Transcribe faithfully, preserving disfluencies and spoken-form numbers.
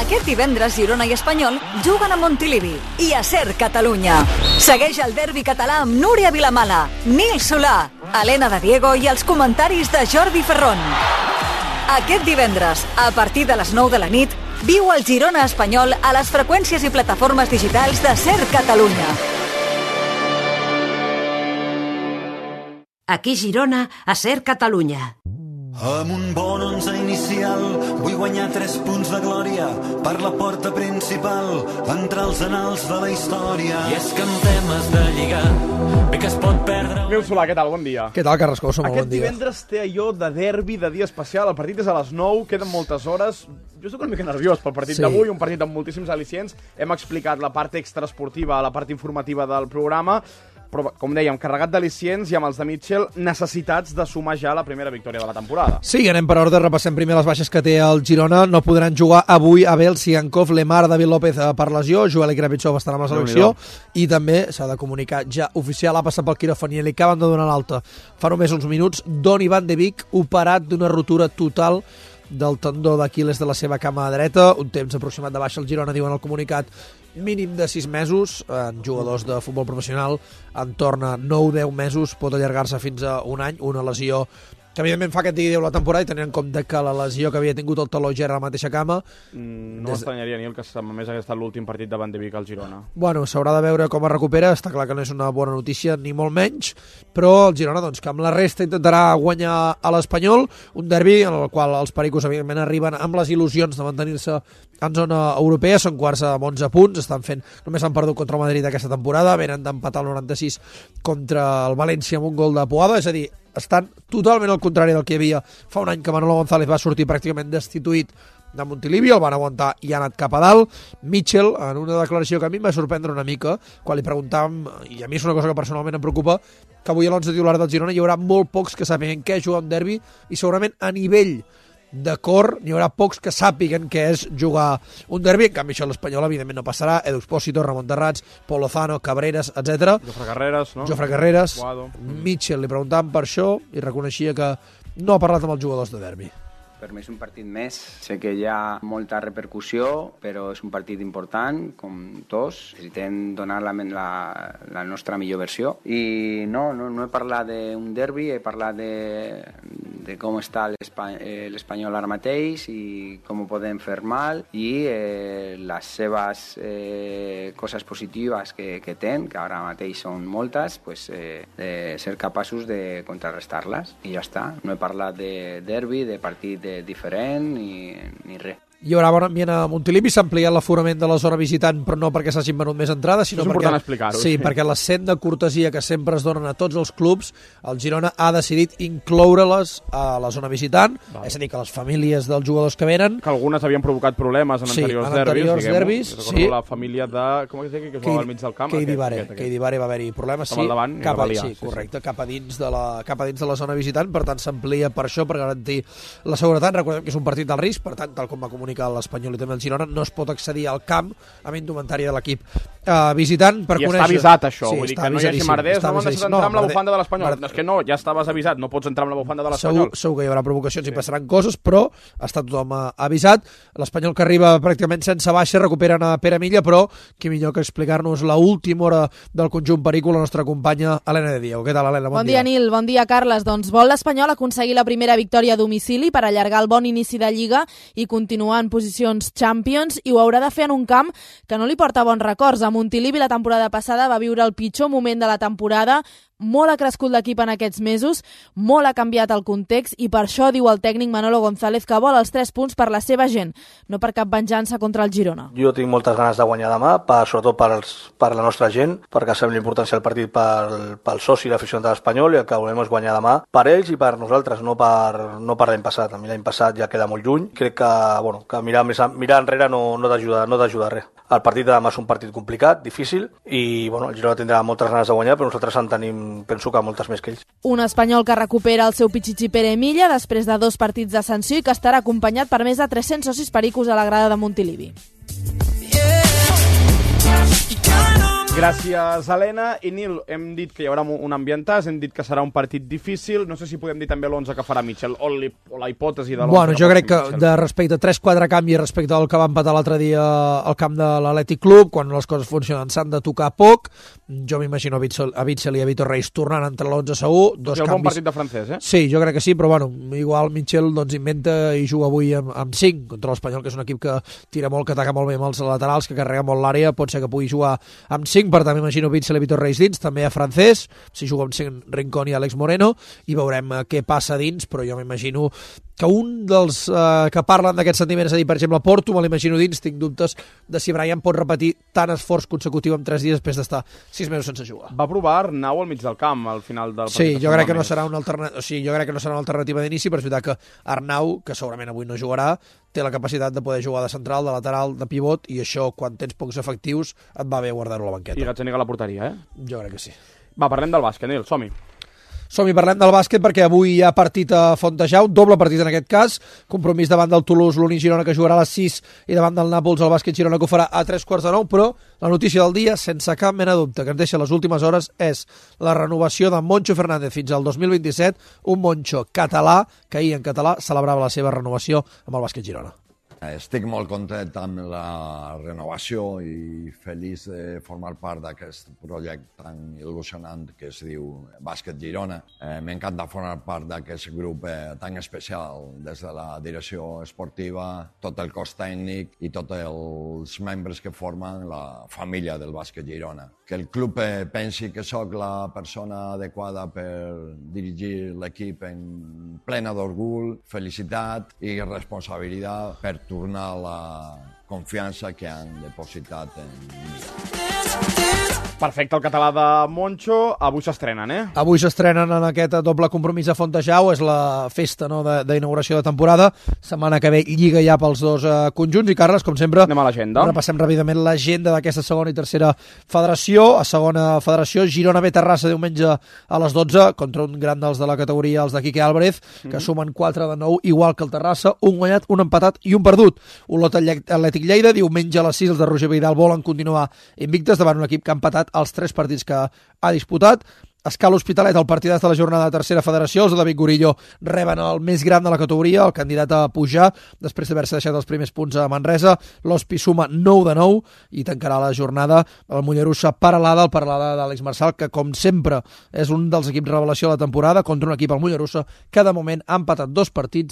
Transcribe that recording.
Aquest divendres Girona i Espanyol juguen a Montilivi i a Ser Catalunya. Segueix el derbi català amb Núria Vilamala, Nil Solà, Helena de Diego i els comentaris de Jordi Ferrón. Aquest divendres, a partir de les nou de la nit, viu el Girona Espanyol a les freqüències i plataformes digitals de Ser Catalunya. Aquí Girona, a Ser Catalunya. Amb un bon onze inicial vull guanyar tres punts de glòria per la porta principal, entrar als anals de la història. I és que en temes de lligar bé que es pot perdre... Nil Solà, què tal? Bon dia. Què tal, Carrascosa? Molt Aquest bon dia. divendres té allò de derbi, de dia especial. El partit és a les nou, queden moltes hores. Jo estic una mica nerviós pel partit Sí. d'avui, un partit amb moltíssims al·licients. Hem explicat la part extraesportiva, la part informativa del programa, però, com dèiem, carregat d'al·licients i amb els de Mitchell necessitats de sumar ja la primera victòria de la temporada. Sí, anem per ordre, repassem primer les baixes que té el Girona. No podran jugar avui Abel Sigankov, Lemar, David López per lesió, Joel Krapitsov estarà amb la selecció i també s'ha de comunicar ja oficial, ha passat pel quiròfan i li acaben de donar l'alta fa només uns minuts, Donny van de Beek, operat d'una rotura total del tendó d'Aquil·les de la seva cama dreta, un temps aproximat de baixa al Girona, diuen el comunicat, mínim de sis mesos, en jugadors de futbol professional en torn a nou deu mesos, pot allargar-se fins a un any, una lesió que evidentment fa que et digui la temporada i tenint en compte que la lesió que havia tingut el taló ja era la mateixa cama. Mm, no m'estranyaria, Nil, que només hagués estat l'últim partit de Van de Beek al Girona. Bueno, s'haurà de veure com es recupera, està clar que no és una bona notícia, ni molt menys, però el Girona, doncs, que amb la resta intentarà guanyar a l'Espanyol, un derbi en el qual els pericos, evidentment, arriben amb les il·lusions de mantenir-se en zona europea, són quarts amb onze punts, estan fent, només han perdut contra el Madrid aquesta temporada, venen d'empatar el noranta-sis contra el València amb un gol de Puado, és a dir, estan totalment al contrari del que hi havia fa un any que Manolo González va sortir pràcticament destituït de Montilivi, el van aguantar i ha anat cap a dalt. Mitchell, en una declaració que a mi em va sorprendre una mica, quan li preguntàvem, i a mi és una cosa que personalment em preocupa, que avui a l'onze titular del Girona hi haurà molt pocs que sàpiguen què és jugar un derbi i segurament a nivell de cor n'hi haurà pocs que sàpiguen què és jugar un derbi, en canvi això a l'Espanyol evidentment no passarà, Edu Expósito, Ramon Terrats, Pol Lozano, Cabreras, etcètera. Jofre Carreras, no? Jofre Carreras, Guado. Mitchell, li preguntàvem per això i reconeixia que no ha parlat amb els jugadors de derbi. Per mi és un partit més. Sé que hi ha molta repercussió, però és un partit important, com tots. Necessitem donar la, la, la nostra millor versió. I no, no, no he parlat d'un derbi, he parlat de, de com està l'Espanyol ara mateix i com ho podem fer mal i eh, les seves eh, coses positives que, que ten, que ara mateix són moltes, pues, eh, de ser capaços de contrarrestar-les. I ja està. No he parlat de derbi, de partit de diferent ni, ni res. Hi haurà bon ambient a Montilivi, s'ha ampliat l'aforament de la zona visitant, però no perquè s'hagin venut més entrades, sinó és perquè, important explicar-ho. sí, Sí. perquè la cent de cortesia que sempre es donen a tots els clubs, el Girona ha decidit incloure-les a la zona visitant, Val. és a dir, que les famílies dels jugadors que venen... Que algunes havien provocat problemes en Sí, anteriors en anteriors derbis, derbis, diguem-ho. sí. La família de... Com es diu? Que es jugava al mig del camp. Keidi aquest, Bare, aquest, aquest. Keidi Bare va haver-hi problemes, Estava sí, al davant i cap va a, liar, sí, sí, sí. correcte, cap a dins de la cap a dins de la zona visitant, per tant s'amplia per això, per garantir la seguretat. Recordem que és un partit del risc, per tant, tal com va comunicar l'Espanyol i també el Girona, no es pot accedir al camp amb indumentària de l'equip uh, visitant per I conèixer... està avisat, això, Sí, vull dir està que no hi hagi avisadíssim, merders, està no m'han deixat avisadíssim. entrar amb la Marder- bufanda de l'Espanyol. Marder- No, és que no, ja estaves avisat, no pots entrar amb la bufanda de Segur, l'Espanyol. segur que hi haurà provocacions sí. i passaran coses, però està tothom uh, avisat. L'Espanyol que arriba pràcticament sense baixa, recuperen a Pere Milla, però qui millor que explicar-nos l'última hora del conjunt perico, la nostra companya Helena de Diego. Què tal, Helena? Bon, bon dia, Nil. Bon dia, Carles. Doncs vol l'Espanyol aconseguir la primera victòria a domicili per allargar el bon inici de Lliga i continuar en posicions Champions, i ho haurà de fer en un camp que no li porta bons records. A Montilivi la temporada passada va viure el pitjor moment de la temporada, molt ha crescut l'equip en aquests mesos, molt ha canviat el context i per això diu el tècnic Manolo González que vol els tres punts per la seva gent, no per cap venjança contra el Girona. Jo tinc moltes ganes de guanyar demà, per, sobretot pels, per la nostra gent, perquè sabem l'importància del partit pel, pel soci i l'aficionat de l'Espanyol, i el que volem és guanyar demà per ells i per nosaltres, no per, no per l'any passat. A mi l'any passat ja queda molt lluny. Crec que, bueno, que mirar, més, mirar enrere no, no t'ajuda no t'ajuda res. El partit de demà és un partit complicat, difícil, i bueno, el Girona tindrà moltes ganes de guanyar, però nosaltres en tenim, penso que moltes més que ells. Un Espanyol que recupera el seu pitxitxi Pere Milla després de dos partits de sanció i que estarà acompanyat per més de tres-cents socis pericos a la grada de Montilivi. Yeah. Gràcies, Helena. I Nil, hem dit que hi haurà un ambientàs, hem dit que serà un partit difícil. No sé si podem dir també l'onze que farà Mitchell, o, o la hipòtesi de l'onze. Bueno, jo crec que Mitchell, de respecte a tres quatre canvis respecte al que va empatar l'altre dia al camp de l'Atlètic Club, quan les coses funcionen s'han de tocar poc. Jo m'imagino a Witsel, a Witsel i a Vitor Reis tornant entre l'onze segur. Dos és el canvis... bon partit de francès, eh? Sí, jo crec que sí, però bueno, igual Mitchell doncs, inventa i juga avui amb, amb cinc contra l'Espanyol, que és un equip que tira molt, que ataca molt bé amb els laterals, que carrega molt l'àrea, pot ser que pugui jugar amb cinc, per tant m'imagino Witsel i Vitor Reis dins, també a francès, si juga amb cinc Rincón i Àlex Moreno, i veurem eh, què passa dins, però jo m'imagino que un dels eh, que parlen d'aquests sentiments, és a dir, per exemple, Porto, me l'imagino dins, tinc dubtes de si Brian pot repetir tant esforç consecutiu en tres dies després d'estar sis mesos sense jugar. Va provar Arnau al mig del camp al final del sí, partit. Jo crec que no serà una alternativa, o sigui, jo crec que no serà una alternativa d'inici, però és veritat que Arnau, que segurament avui no jugarà, té la capacitat de poder jugar de central, de lateral, de pivot, i això, quan tens pocs efectius, et va bé guardar-ho a la banqueta. I Gazzaniga a la porteria, eh? Jo crec que sí. Va, parlem del bàsquet, Nil, som-hi. Som-hi, parlem del bàsquet perquè avui hi ha partit a Fontejau, doble partit en aquest cas, compromís davant del Toulouse, l'Uni Girona, que jugarà a les sis, i davant del Nàpols, el bàsquet Girona, que ho farà a tres quarts de nou, però la notícia del dia, sense cap mena de dubte, que ens deixa les últimes hores, és la renovació de Moncho Fernández fins al dos mil vint-i-set, un Moncho català, que ahir en català celebrava la seva renovació amb el bàsquet Girona. Estic molt content amb la renovació i feliç de formar part d'aquest projecte tan il·lusionant que es diu Bàsquet Girona. Eh, M'encanta formar part d'aquest grup eh, tan especial, des de la direcció esportiva, tot el cos tècnic i tots els membres que formen la família del Bàsquet Girona. Que el club eh, pensi que sóc la persona adequada per dirigir l'equip en plena d'orgull, felicitat i responsabilitat per tornar la confiança que han depositat en mi. Perfecte, el català de Moncho. Avui s'estrenen, eh? Avui s'estrenen en aquest doble compromís a Fontejau, és la festa no, d'inauguració de, de temporada. Setmana que ve lliga ja pels dos uh, conjunts i Carles, com sempre, anem a l'agenda. Repassem ràpidament l'agenda d'aquesta segona i tercera federació. A segona federació, Girona B Terrassa diumenge a les dotze contra un gran dels de la categoria, els de Quique Álvarez, que mm -hmm. sumen quatre de nou, igual que el Terrassa, un guanyat, un empatat i un perdut. Olot Atlètic Lleida, diumenge a les sis, els de Roger Vidal volen continuar invictes davant un equip que ha empatat els tres partits que ha disputat. Escala Hospitalet, el partidàs de la jornada de tercera federació, els de David Gorillo reben el més gran de la categoria, el candidat a pujar, després d'haver-se deixat els primers punts a Manresa. L'Hospi suma nou de nou i tancarà la jornada el Mollerussa Paralada, el Paralada d'Àlex Marçal, que com sempre és un dels equips revelació de la temporada, contra un equip, el Mollerussa, que de moment ha empatat dos partits